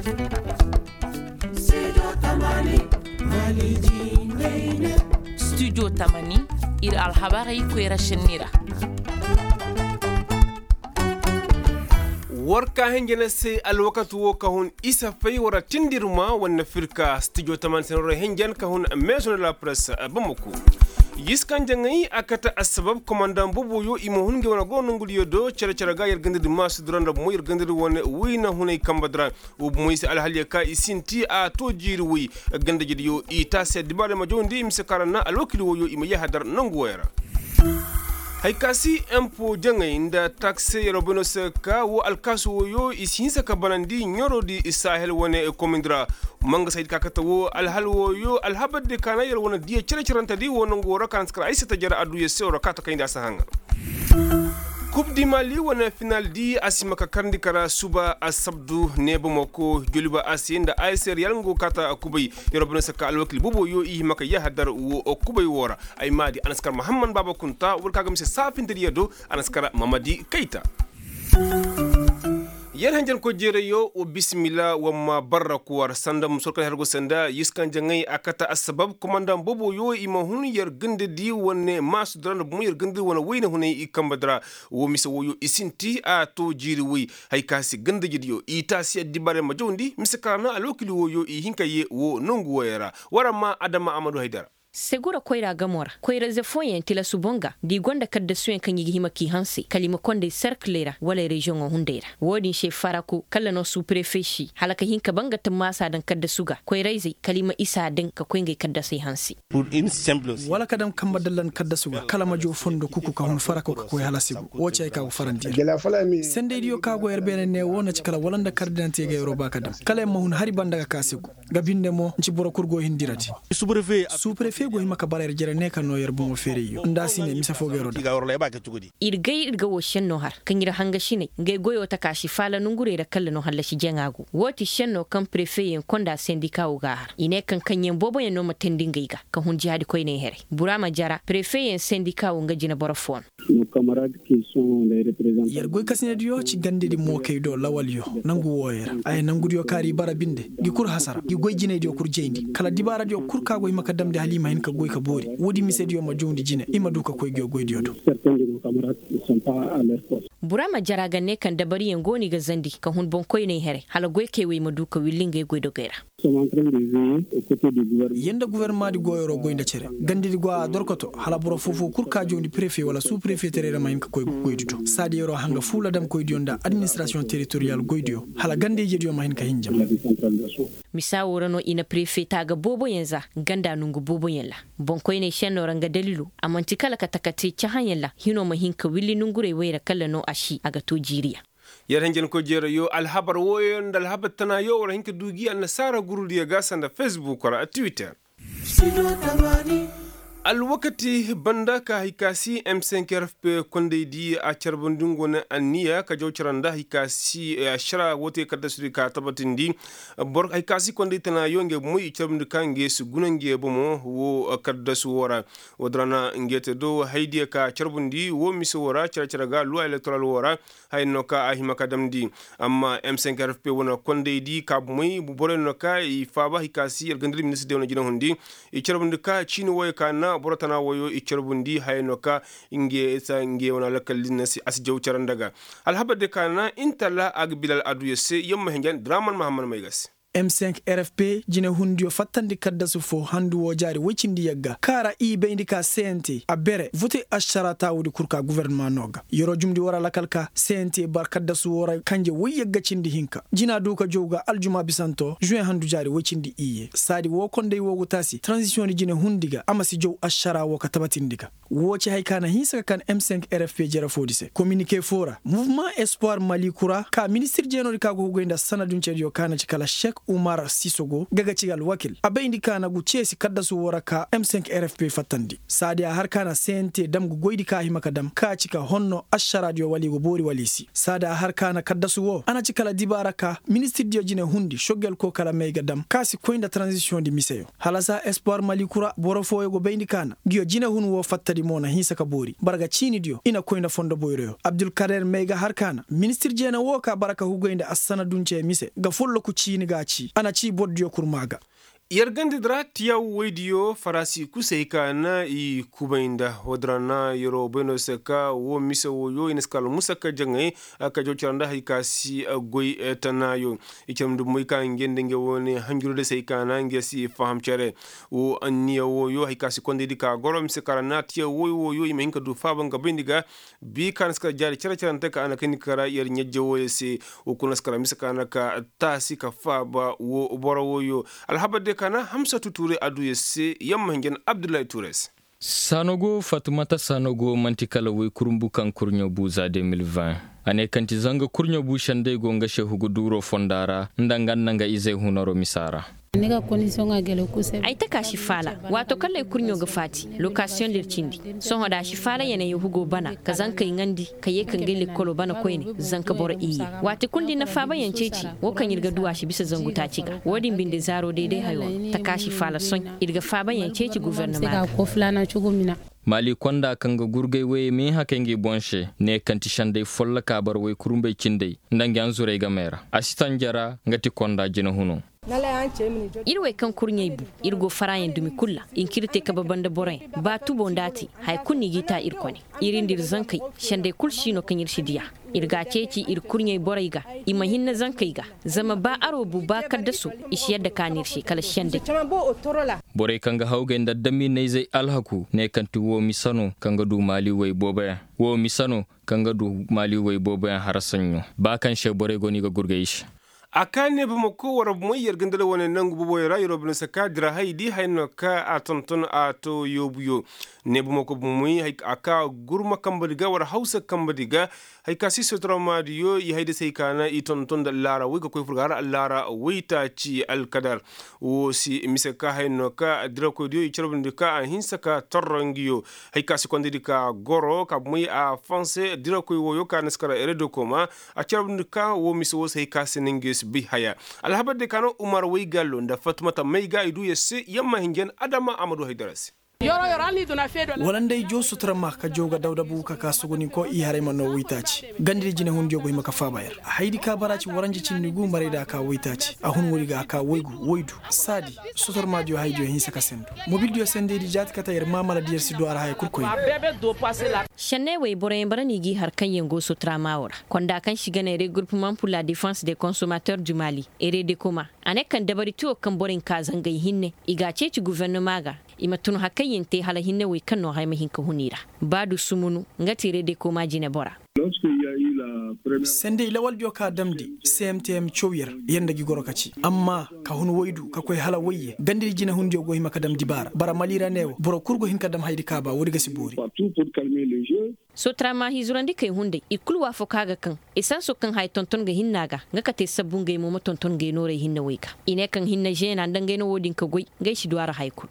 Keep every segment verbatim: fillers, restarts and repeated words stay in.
Studio tamani, ir alhabarey koyra šenni ra. War ka hinja na se alwakati wo ka hun isa fay war tindirma wane firka studio tamani se na war hinja na ka hun maison de la presse bamako. Yiskan jaŋay a kate assabab komandan boboyo i ma hun nge wane go nongudiyo do cere-cere ga yer gandadi masu dira nda bomo yer gandadi wane wayna hunay kamba dira. Wo bomoy se alhaliyo ka i sinti a to jiiri woy. Gandajediyo i taasi addibaarey ma jawndi i ma si kaara na alwakil woyo i ma yahadar nangu woyo ra. Hay ka si empo jaŋay nda taksi yer wo bay no se ka wo alkaasu woyo i si hinsa ka banandi ɲorodi sahel wane komindi ra. Mangasaydi ka kate wo alhal woyo alhabardi ka na yer wane diya cere-cerentedi wo nangu wo ra ka na si kara ay se tajara adduya se wo ra ka ta kayndi a si haŋa. Kub di mali wane final di a si ma ka karndi kara suba asabdu ne bamako joliba a se nda a se riyal nga go kaata kubay. Yer wo bay no se ka alwakil boboyo i hima ka yahadar wo kubay wo ra. Ay ma di a na si kara mahamman baaba kunta war ka ga mise saafintediyo do. A na si kara mamadi kayta. Yer hanjankoy jeerayyo wa bisimila wa ma barra kuwar sanda musor kaŋ hergo sanda yiskan jaŋay a kata assabab komandan boboyo i ma hun yer gandadi wane maasu dira nda bomo yer gandadi wane wayna hunay i kamba dira. Wo mise woyo i sinti a to jiiri way. Hay ka si gandajediyo i taasi addibaarey ma jawndi mise kaŋ ra na alwakili woyo i hin ka ye wo nongu woyey ra. War ma adama amadu haydara. Segura koyra gamo ra koyra-ize fooyaŋ tilasu boŋ ga da i gonda kaddasuyaŋ kaŋ i ga hima k'i hanse kala i ma konday serkiley ra wala reziyoŋo hunday ra. Wo-din se faraku kala no suuprefe si hala ka hin ka ba nga tammaasa daŋ kaddasu ga koyra-izey kala i ma isa daŋ ka koy ngey kaddasey hanse. Wala ka daŋ kamba dallan kaddasu ga kala ma joo fondo kuku ka hun faraku ka koy hala sigu. Wo ci hay ka go farandiya. Sendaydiyo ka go yer beene ne wo na ci kala wala nda kardinante ga yeroo ba ka daŋ kala yer ma hun hari banda ga ka sigu. Ga binde mo nci boro kul go hindira di. Suuprefe go hima ka bara yer jere ne ka no yer bomo feerayyo nda a si ne mise fo ga yeroo da. Ir gay ir ga wo šenno har kaŋ ir hangasiney ngey goyo taka si faala nongurey ra kalla no hallasi jaŋa go wo ti šenno kaŋ prefe yaŋ konda sendika wo ga a har i ne kaŋ kaŋyaŋ booboyaŋ no ma teendi ngey ga ka hun jihaadi koyney herey bura ma jara prefe yaŋ sendika wo nga jineboro fo no. Yer goykasinediyo ci gandedi mookey do lawalyo nangu wooyo ra ay nangudiyo kaari i bara binde. Ngi kul hasara ngi goy jinaydiyo kul jayndi kala dibaaradiyo kul ka go hima ka damndi hala i ma hin ka goy ka boori woodi misediyo ma jawndi jine i ma du ka koy ngiyo goydiyo do. Bura ma jara ga ne kaŋ dabariyaŋ go no i ga zandi ka hun boŋkoyney herey hala goykey wey ma du ka willi ngey goydogey ra. Yer nda gufornamaadi goyoro goy nda cere gandedi go a dorkoto hala boro foofoo kul ka jawndi prefe wala suuprefeterey ra ma hin ka koy goydi do saadi yeroo hanga fuula damkoydiyo nda administirasiyoŋ teritoriyal goydiyo hala ganda-ijediyo ma hin ka hinjam. Misa woo ra no i na prefe taaga booboyaŋ za ganda nongu booboyaŋ ra. Boŋkoyney šennoo ra nga daliiloo a man'ti kala ka taka te cahãyaŋ ra hinoo ma hin ka willi nongurey wey ra kala no a si a ga too jiiriyaŋ. Yer hinjankoy jeerayoo alhabar wooyoo nda alhabar tanayoo war hin ka duu gi annasaara gurudiyo ga sanda fesbuk ra twitter. Alwakati banda ka hay ka si m cinq r f p kondaydi a carbandi nga wane anniya ka jaw cara nda hay ka si ašara woote kaddasudi ka tabatindi. Boro hay ka si kondaydi tanayoo ngey bomoy i carbandi ka ngey si guna ngey bomo woo kaddasu woo ra. Woodin ra na ngey te do haydiyo ka carbundi woo mise woo ra care care ga luwa elektoral woo ra. Haya no ka a hima ka damndi. Amma m cinq r f p wane kondaydi ka bomey borey no ka i faaba hay ka si yer gandadi ministir de wane jinahundi. I carbundi ka ciini wooyo ka na boro tana wooyo i carbundi haya no ka ngey sa ngey wane alakal din na si a si jaw care nda ga. Alhabar de ka na intala a ga bilal aduya se yamma hinjan draman mahammad may ga se. M cinq R F P jinehundiyo fattandi kaddasu foo handu woo jaari woy cindi yagga kaŋ a ra i bayndi ka C N T a bere vote ašara taawudi kul ka gofornama no ga. Yer'o jumndi war alakal ka C N T bar kaddasu woo ra kanje woy yagga cindi hinka jina du ka jow ga aljuma bisanto žuweŋ handu jaari woy cindi iyye saadi woo konday woo go taasi taranzisiyoŋ di jinehundi ga a ma si jow ašara woo ka tabatindi ga. Woo ci haya ka na hinsa ka kan M cinq R F P jere foodi se kominike foo ra muvemaŋ espoir mali kura ka ministir jeenoo di ka go hugay nda sanadunceediyo ka na ci kala šek. Umar sisogo ga ga ci alwakil a bayndi ka na gu ceesi kaddasu woo ra ka m cinq r f p fattandi saadi a har ka na c n t dam ga goydi ka a hima ka dam ka ci ka honno ašaraadiyo wala i go boori wala i si saadi a har ka na kaddasu woo a na ci kala dibaara ka ministirdiyo jine hundi soggel ko kala may ga dam ka si koy nda taranzisiyoŋ di miseyo. Hala saa espoir malikura boro fooyo go bayndi ka na nguyo jinehun woo fattadi mo na hinsa ka boori bara ga ciinidiyo i na koy nda fondo boyroyo abdulkader may ga har ka na ministir jeena woo ka bara ka hugay nda assana duncey mise ga folloku ciini ga a ci a na ci bordiyo kul maa ga. Yer gandadi ra tiyaw woydiyo farasi kusey ka na i kubay nda woodin ra na yeroo bay no se ka woo mise wooyo i na si ka almusa ka jaŋay ka jaw cere nda hari ka si goy tanaayo. I cere nda moy ka nge nda nge woone hanjuru de se hari ka na nge si faham cere. Woo anniya wooyo hari ka si kondaydi ka goro mise ka ra na tiyaw woy wooyo i ma hin ka du faaba nga bayndi ga. Bii ka na si kara jaari cere-cerante ka a na kayndi ka ra yer ɲajje wooyo se. Woo kul na si kara mise ka na ka taasi ka faaba woo boro wooyo. Alhabar de ka na hamsatu tuure a du yer se yamma hinja na abdullahi tuure se. Saanogo fatumata saanogo man'ti kala woy kurumbu kaŋ kurɲo bu za deux mille vingt. A ne kaŋ ti zanga kurɲo bu sendey go nga se hugu duuroo fonda ra nda nga nda nga izey hunaroo misa ra. Ay taka si faala. Waato kaŋ lay kurɲo ga faati lokasiyoŋ da ir cindi. Sohõ da a si faala ya na yahugo bana ka zankey ŋandi ka yee ka ngey lekkolo bana koyne. Zanka boro iyye waati kul da ir na faabayaŋ ceeci. Woo kaŋ ir ga du a si bisa zangu taaci ga woo din binde zaaro day-day hayo ra. Taka si faala soy ir ga faabayaŋ ceeci gofornama ga. Maali konda kaŋ ga gurgay woyey ma hin hakay ngi boŋ se ne kaŋ ti sendey folloka bara woy kurumbey cindey nda ngi anzurey gamey ra a si tanjara nga ti konda jinahuno. Ir wey kaŋ kurɲey bu ir go faraayaŋ dumi kul ra. Inkirte kabe banda boroyaŋ ba tubo nda a te haya kul no i g'i taa ir kone. Ir nda ir zankey sendey kul si no kaŋ ir si diya. Ir g'a ceeci ir kurɲey borey ga i ma hinne zankey ga. Zama ba aroo bu ba kaddasoo i si yadda ka no ir se kala sendey. Borey kaŋ ga hawgay nda adamiinayzey alhaku ne kaŋ ti woo mise no kaŋ ga du maali woy booboyaŋ. Woo mise no kaŋ ga du maali woy booboyaŋ hara saɲɲo ba kaŋ se borey go no i ga gurgay i se. A ka ne bamako war moy yer ga nda wane nangu booboyaŋ ra yeroo bine se ka dira hay di hay no ka a tonton a to yoobuyo. Ne bamako bumey a ka gurma kambadi ga war hawsa kambadi ga. Hay ka si sotoramaadiyo i hay da se hay ka na i tonton nda allaara woy ga koy furga ra allaara woytaaci alkadar. Woo si mise ka hay no ka dirakoydiyo i carbundi ka a hinsa ka torro ngiyo. Hay ka si kondaydi ka goro ka bumey a fonse dirakoy wooyo ka na si kara eredokoma. A carbundi ka woo mise woo se hay ka se na ngiyo si bay haya. Alhabar de ka no umar waygallo nda fatumata may ga i du yer se yamma hinjan adama a ma du haydara se. Wala nda ay joo sutura ma ka joo ga dawdabu ka ka sogoninko i haray ma noo woytaaci. Gandadi jinehundiyo go hima ka faaba yer. Hayadi ka bara ci waranja cindi gu marayda a ka woytaaci a hun woodi ga a ka woygu woydu. Saadi sotormaadiyo hayadiyo hinsa ka sendu. Mobildiyo sendeydi jaati kate yer maamaladi yer si du a ra haya kul koyne. Senney wey boroyaŋ bara no i g'i har kaŋyaŋ go sotoramaawoo ra. Konda kaŋ si ga ne regroupement pour la defense de consomateur du mali, eredekoma. A ne kaŋ dabari tiyo kaŋ borey nka zangay hinne i g'a ceeci gufernama ga. I ma tun hakayyaŋ te hala hinne wey kaŋ no haya ma hin ka hun i ra. Ba du sumunu nga ti redekoma jinebora. Sendey lawaldiyo ka damndi cmtm caw yer yer nda gi goro ka ci. Amma ka hun woydu ka koy hala woyye gandadi jinehundiyo go hima ka damndi baara bara mali ra ne wo boro kul go hin ka dam hayadi ka ba woodi ga si boori. Sotarama hizurandikey hunday i kul waafaka ga kaŋ esanso kaŋ haya tonton ga hinna ga nga kate sabbu ngey mo ma tonton ngey noorey hinne wey ga. I ne kaŋ hinne zeena nda ngey no wo-din ka goy ngey si du a ra haya kul.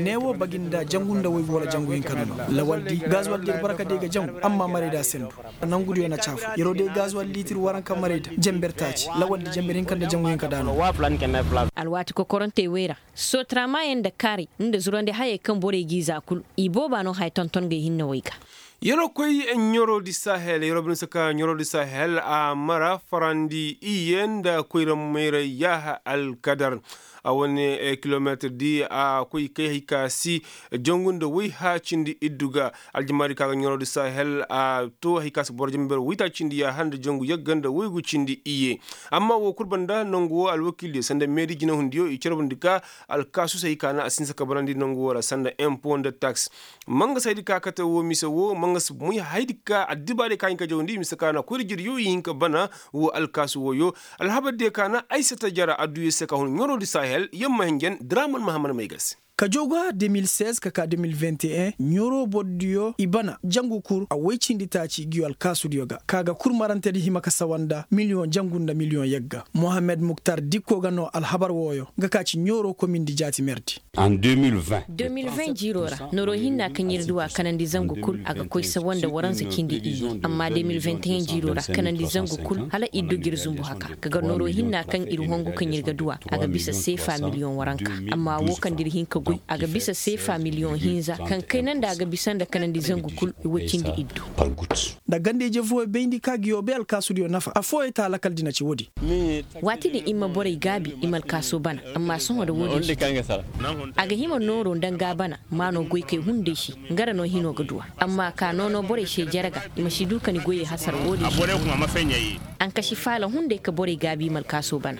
Neewo bagi nda jangu nda woygu wala jangu hinka no no. Lawaldi gazuwaldi yer bara ka day ga jangu amma marayda sendu. Nangudiyo na caafu yeroo day gazuwal liitir waranka marayda jenber taaci lawaldi jenber hinka nda jangu hinka daano. Alwaati kokorantey wey ra. Sotaramayaŋ nda kaaray nda zurandi hayey kaŋ borey g'i za kul. I booba no haya tonton ngey hinne wey ga. Yeroo koy ɲoroo di sahel yeroo bine se ka ɲoroo di sahel a mara farandi iyye nda koyra mayra yaaha alkadar. A wane kilomeetir di a koy kay hay ka si jangu nda woy haya cindi iddu ga. Aljamaari ka ga ɲoroo di sahel a to hay ka si boro jenber woytaaci cindi yaaha nda jangu yagga nda woygu cindi iyye. Amma woo kul banda nangu woo alwakiildiyo sanda meedi jinahundiyo i carbundi ka alkaasu se hay ka na a si hinsa ka barandi nangu woo ra sanda empo nda taks. Manga si hayadi ka kate woo mise woo manga si moy hayadi ka addibaadiyo ka hin ka jawandi mise ka na koyra jiriyo i hin ka bana. Woo alkaasu wooyo alhabardiyo ka na aysata jara adduyo se ka hun ɲoroo di sahel yamma hinjan draman mahammad may ga se. Ka joogu har de mil seize ka ka de mil vingt et un ɲooroo borodiyo i bana jangu kul a woy cindi taaci ngiyo alkaasudiyo ga ka ga kul marantedi hima ka sawa nda miliyoŋ jangu nda miliyoŋ yagga. Mohammed muktar dikko ga noo alhabar wooyo nga ka ci ɲooroo komindi jaati merdi. De mil vingt jiiroo ra nooroo hinna kaŋ ir du a kanandi zangu kul a ga koy sawa nda waransa cindi iyye. Amma de mil vingt et un jiiroo ra kanandi zangu kul hala ir du ga ir zumbu haka ka ga nooroo hinna kaŋ ir hongu kaŋ ir ga du a a ga bisa seefa miliyoŋ waranka. Amma woo kaŋ da ir hin ka goy a ga bisa seefa miliyoŋ hinza kaŋ kayna nda a ga bisa nda kanandi zangu kul i woy cindi iddu. Nda ganda-ije fooyoo bayndi ka ngiyo bay alkaasudiyo nafa affooyoo ta lakal dina ci woodin. Waati din i ma borey gaabi i ma alkaasoo bana. Amma sohõ nda woodin si te a ga hima nooroo nda nga bana maanoo goykey hunday se. Nga ra no hinoo ga du a amma ka noonoo borey se jere ga i ma si du ka ni goyey hasara woodin se. Ankasi faala hunday ka borey gaabi i ma alkaasoo bana.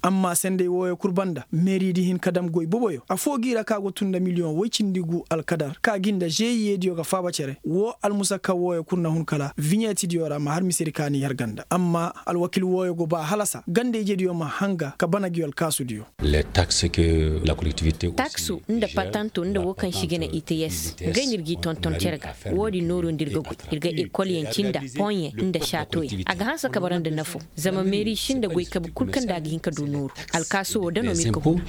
Amma senday wooyo kul banda meeridi hin ka dam goy boboyo affoo g'i ra ka go tun nda miliyoŋ woy cindi gu alkadar ka gi nda žeyiyediyo ga faaba cere woo almusakka wooyo kul na hun kala viɲeetidiyo ra ma har misedi ka n'i har ganda amma alwakil wooyo go ba halasa ganda-ijediyo ma hanga ka bana ngiyo alkaasudiyo. Taksu nda patanto nda woo kaŋ se i ga ne i te yes ngey no ir g'i tonton cere ga. Woodin nooroo nda ir ga goy ir ga ekolyaŋ cinda poɲe nda saatoyaŋ a ga hanse ka bara nda nafo. Zama meeri sinda goy kabe kul kaŋ nda a ga hin ka du nooru. Alkaaso woo da no ma ir ga hun.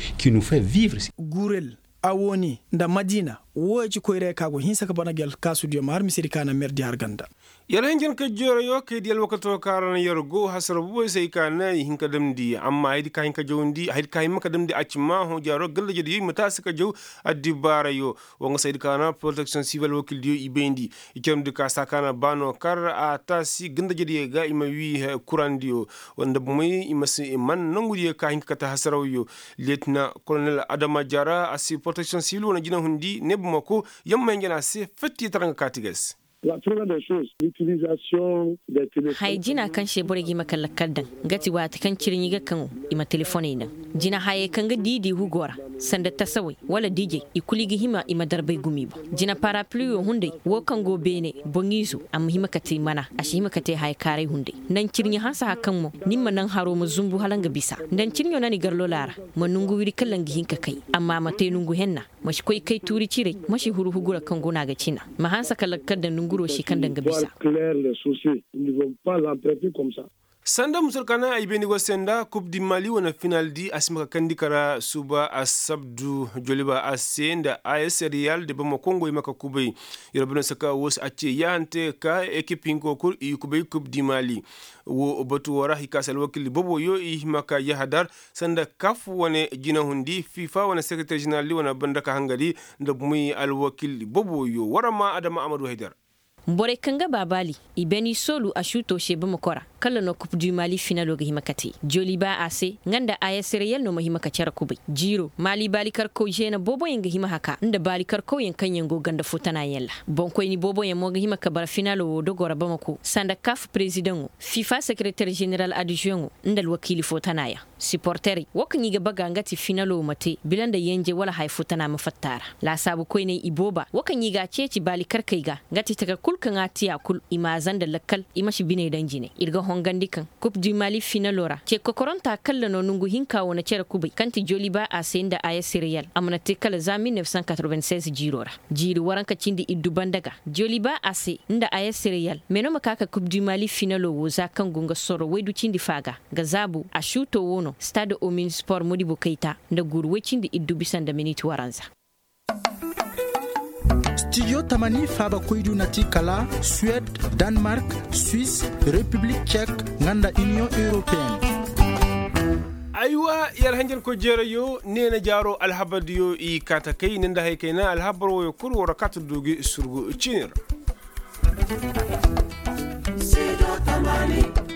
Gurel, awoni nda madina wooyo ci koyra yaŋ ka go hinsa ka bara ngi alkaasudiyo ma har misedi ka na merdi har ganda. Yer hinjanka jeerayo kay di alwakato ka ra na yer go hasara boboy se ay ka na i hin ka damndi amma haydi ka hin ka jawndi haydi ka hima ka damndi a ci ma hõ jaaro gallajediyo i ma taasi ka jaw. Addibaarayo woo nga se haydi ka na poroteksiyoŋ sibil alwakildiyo i bayndi. I carndi ka saa ka na baano kar a taasi gallajediyo ga i ma wii kurandiyo. Nda bomey i ma si man nongudiyo ka hin ka kate hasarawyo. Leetina kolonel adama jaara a si poroteksiyoŋ sibil wane jinahundi ne bomako yamma hinja no a se fetti tara nga kaati ga ay se. Haya jina kaŋ se borey ga hima ka lakkal daŋ nga ti waati kaŋ cirɲi ga kaŋo i ma telefoney naŋ. Jina hayey kaŋ ga diidi hugoo ra sanda tasawey wala dijey i kulu i ga hima i ma darbay gumi boŋ. Jina parapluyo hunday woo kaŋ go beene boŋiizo a ma hima ka te mana a si hima ka te haya kaaray hunday. Naŋ cirɲi hanse hari kaŋ mo ni ma naŋ haro ma zumbu hala nga bisa. Naŋ cirɲo naŋ i gar lolaa ra ma nongu wiri kala nga hin ka kay amma a ma te nongu henna. Ma si koy kay tuuri ciray ma si huru hugura kaŋ guna ga cina. Ma hanse ka lakkal daŋ nonguroo si kaŋ daŋ ga bisa. Sanda musur ka naŋ ay bayndi go se nda kub di mali wane final di a si ma ka kandi kara suba asabdu joliba a se nda a s riyal da bamako ngo i ma ka kubay. Yer bane saka woo se a ce yaahante ka ekip hinko kul i kubay kub di mali. Woo batu woo ra i ka se alwakil boboyo i hima ka yahadar sanda kaf wane jinahundi fifa wane sekereter ženeral di wane banda ka hangari. Nda bumi alwakil boboyo war ma adama amadu haydar. Borey kaŋ ga ba baali i beni soolu a suutoo se bamako ra kala no kup du mali finalo ga hima ka te joli ba a se nga nda a s reyal no ma hima ka care kubay jiiro mali baali karkaw zeena booboyaŋ ga hima haka nda baali karkawyaŋ kaŋ yaŋ go ganda foo tana yaŋ ra. Boŋkoyni booboyaŋ mo ga hima ka bara finalo wo dogo ra bamako sanda kaf perezidaŋo fifa sekereter ženeral adizweŋo nda alwakiili foo tana yaŋ. Siporterey woo kaŋ i ga baga nga ti finalo ma te bila nda yenje wala haya foo tana ma fatta a ra. Laasaabu koyney ibooba woo kaŋ i ga a ceeci baali karkey ga nga ti taka kul kaŋ a te a kul i ma a zanda lakkal i ma si biney daŋ jine. Ir ga hongandi kaŋ kup du mali finalo ra ce kokoronta kalla no nongu hinka wane cere kubay kaŋ ti joliba a se nda a s reyal a mana te kala za mil nef san katroben seize jiiro ra. Jiiri waranka cindi iddu banda ga joliba a se nda a s reyal meno ma ka ka kup du mali finalo wo za kaŋ go nga sorro waydu cindi fa ga. Nga zaabu a suuto wo no stade omin sport modibo kayta nda guuru way cindi iddu bisa nda minit waranza. Stijo tamani faaba koydu na ti kala suwed, danmark, swis, repiblik cek, nga nda iniyoŋ europeyen. Aywa, yer hanjankoy jeerayo neena jaaro alhabardiyo i kaata kay ne nda hay kayna alhabar woyo kul war kaata du gi surgu ciini ra. Studio tamani.